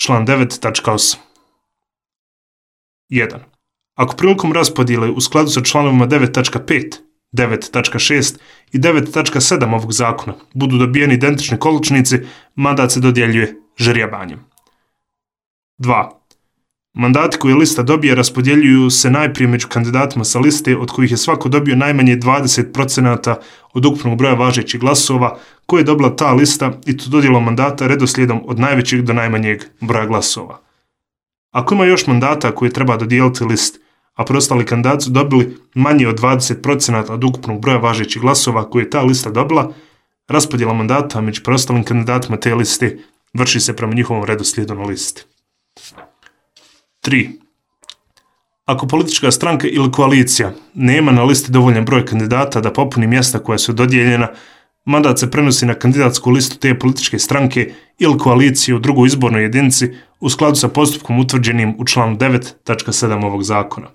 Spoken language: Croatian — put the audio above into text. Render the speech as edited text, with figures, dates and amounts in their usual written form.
član 9.8. 1. Ako prilikom raspodjele u skladu sa članovima 9.5, 9.6 i 9.7 ovog zakona budu dobijeni identični količnici, mandat se dodjeljuje žerjabanjem. 2. Mandati koje lista dobije raspodjeljuju se najprije među kandidatima sa liste od kojih je svako dobio najmanje 20% od ukupnog broja važećih glasova koje je dobila ta lista i to dodjelom mandata redoslijedom od najvećeg do najmanjeg broja glasova. Ako ima još mandata koje treba dodijeliti listi, a preostali kandidati su dobili manje od 20% od ukupnog broja važećih glasova koje je ta lista dobila, raspodjela mandata među preostalim kandidatima te liste vrši se prema njihovom redoslijedu na listi. 3. Ako politička stranka ili koalicija nema na listi dovoljan broj kandidata da popuni mjesta koja su dodijeljena, mandat se prenosi na kandidatsku listu te političke stranke ili koalicije u drugoj izbornoj jedinici u skladu sa postupkom utvrđenim u članu 9.7 ovog zakona.